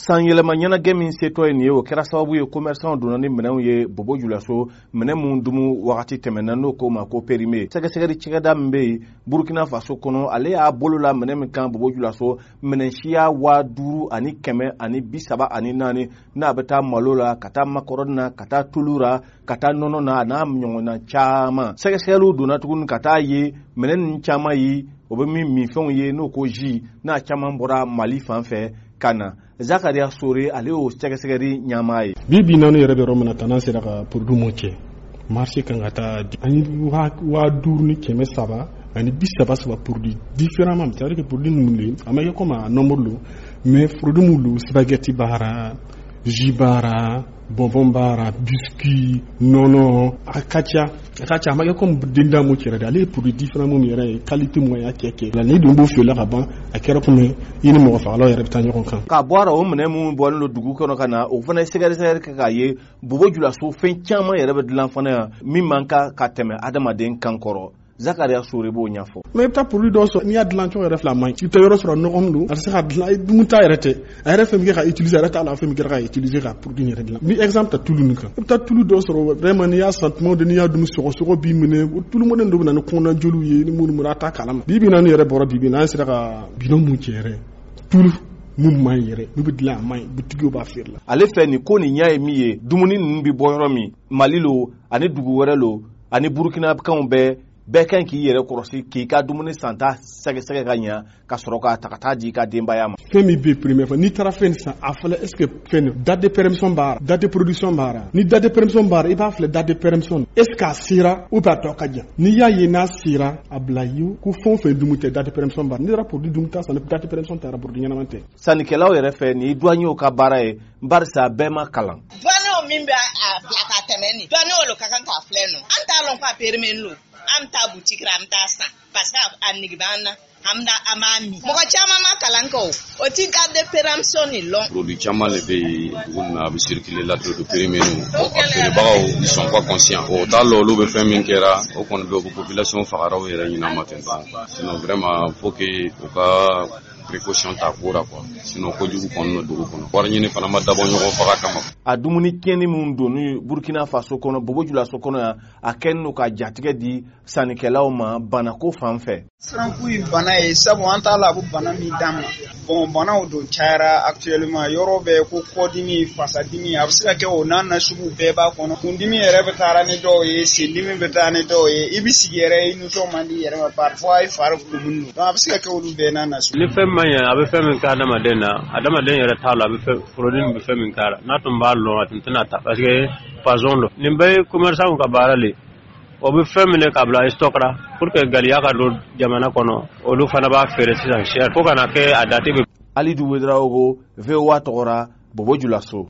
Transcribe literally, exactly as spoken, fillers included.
San yɛlɛma ɲɛnajɛ min setɔ ye nin ye, o kɛra sababu ye commerçant donna ni minɛnw ye Bobo Julaso, minɛn mun dumu wagati tɛmɛna, n'o ko ma ko périmé. Sɛgɛsɛgɛli cakɛda min bɛ yen Burukina Faso kɔnɔ, ale y'a bolo la minɛn min kan Bobo Julaso, minɛn siya waa duuru ani kɛmɛ ani bi saba ani naani, n'a bɛ taa malo la, ka taa makɔrɔni na, ka taa tulu la, ka taa nɔnɔ na, a n'a ɲɔgɔnna caman. Sɛgɛsɛgɛliw donna tuguni ka taa ye minɛn ninnu caman ye, o bɛ min minfɛnw ye, n'o ko jus, n'a caman bɔra Mali fan fɛ ka na. Zakaria Sore, ale y'o sɛgɛsɛgɛli ɲɛmaa ye. Bi bi naani yɛrɛ bɛ yɔrɔ min na tan, n'an sera ka produit mun cɛ marché kan ka taa an ye waa duuru ni kɛmɛ saba ani bi saba saba produit différemment, c'est à dire que produit ninnu de a ma kɛ comme a nombre lo, mais produit mun lo, spaghetti b'a ra, jus b'a ra, bonbon b'a ra, biscuit, nɔnɔ, a ka ca, a ka ca. A ma kɛ comme denda mun cɛrɛ de, ale ye produit différent mun yɛrɛ ye, qualité mun y'a kɛ kɛ la, ni dun b'o feere ka ban, a kɛra komi i ni mɔgɔ fagalaw yɛrɛ bɛ taa ɲɔgɔn kan. Ka bɔ a la, o minɛn minnu bɔlen don dugu kɔnɔ ka na, o fana ye sɛgɛsɛgɛli kɛ k'a ye Bobo Julaso fɛn caman yɛrɛ bɛ dilan fana yan min man kan ka tɛmɛ adamaden kan kɔrɔ. Zakaria Sore b'o ɲɛfɔ. Mais i bɛ taa produit dɔw sɔrɔ, n'i y'a dilan cogo yɛrɛ filɛ, a man ɲi. I bɛ taa yɔrɔ sɔrɔ, nɔgɔ don, a tɛ se ka dilan, dun ta yɛrɛ tɛ, a yɛrɛ fɛn min kɛ ka utiliser, a yɛrɛ t'a la, fɛn min kɛra ka utiliser ka produit yɛrɛ dilan. N bɛ exemple ta tulu nin kan. I bɛ taa tulu dɔw sɔrɔ, vraiment, n'i y'a san tuma dɔ, n'i y'a dun, sɔgɔsɔgɔ b'i minɛ. Tulu mɔdɛli dɔ bɛ na ni kɔnɔna joliw ye, ni minnu a t'a kalama. Bi bi naani yɛrɛ bɔra, bi bi n'an sera ka bidon mun cɛ yɛrɛ, tulu mun man ɲi yɛrɛ, n'u bɛ dilan, a man ɲi, butigiw b'a feere la. Ale fɛ nin ko nin ɲɛ ye min ye, dumuni ninnu bɛ bɔ yɔrɔ min, Mali lo ani dugu wɛrɛ lo ani Burukinakanw bɛɛ, bɛɛ kan k'i yɛrɛ kɔlɔsi k'i ka dumuni santa sɛgɛsɛgɛ ka ɲa, ka sɔrɔ k'a ta ka taa di i ka denbaya ma. Fɛn min bɛ premier fɔ, n'i taara fɛn san, a filɛ, est ce que fɛn date de péremption b'a la, date de production b'a la? Ni date de péremption b'a la, i b'a filɛ, date de péremption, est ce que a sera ou bien a tɔ ka jan? N'i y'a ye n'a sera, a bila ye ko fɛn o fɛn dumu tɛ, date de péremption b'a la. N'i taara produit dumu ta san, date de péremption taara, produit ɲɛnama tɛ. Sannikɛlaw yɛrɛ fɛ, nin ye douaniers ka baara ye, barisa bɛɛ ma kalan. Douaniers min bɛ a bila ka tɛmɛ nin, douaniers lo ka kan k'a filɛ nɔ. An t'a lɔn k'a périmé lo, an bɛ taa boutique la, an bɛ taa san parce que a nege b'an na, an bɛ an b'a min. Mɔgɔ caman ma kalan kɛ, o o ti date de péremption nin lɔn. Produit caman de bɛ yen dugu nin na, a bɛ circuler la, produit périmé. A feerebagaw, ils sont pas conscients, o t'a lɔn olu bɛ fɛn min kɛra. O kɔni bɛ o population fagara u yɛrɛ ɲin'a ma ten tɔ. Sinon vraiment, faut que u ka précaution ta ko la quoi, sinon kojugu kɔni don dugu kɔnɔ. Wari ɲini fana ma dabɔ ɲɔgɔn faga kama. A dumuni tiɲɛni minnu donni Burukina Faso kɔnɔ, Bobo Julaso kɔnɔ yan, a kɛlen don ka jatigɛ di sannikɛlaw ma banako fan fɛ. Siranku ye bana ye, sabu an t'a la a bɛ bana min d'an ma. Bon, banaw don cayara actuellement yɔrɔ bɛɛ, ko kɔdimi, fasadimi, a bɛ se ka kɛ o n'a nasugu bɛɛ b'a kɔnɔ. Kundimi yɛrɛ bɛ taara ni dɔw ye, sendimi bɛ taa ni dɔw ye, i bɛ sigi yɛrɛ, i nisɔn man di i yɛrɛ ma, parfois i fari kumuni don. Donc a bɛ se ka kɛ olu bɛɛ n'a nasugu. Ni fɛn man ɲi, a bɛ fɛn min kɛ adamaden na, adamaden yɛrɛ t'a la a bɛ fɛn produit nin bɛ fɛn min k'a la. N'a tun b'a lɔn, a tun tɛna ta, parce que poison don. Nin bɛɛ ye commerçant ka baara le, o bɛ fɛn minɛ k'a bila stock la pour que galiya ka don jamana kɔnɔ, olu fana b'a feere sisan cher fo ka na kɛ a date bɛ. Alidu Wedraogo, V O A tɔgɔ la, Bobo Julaso.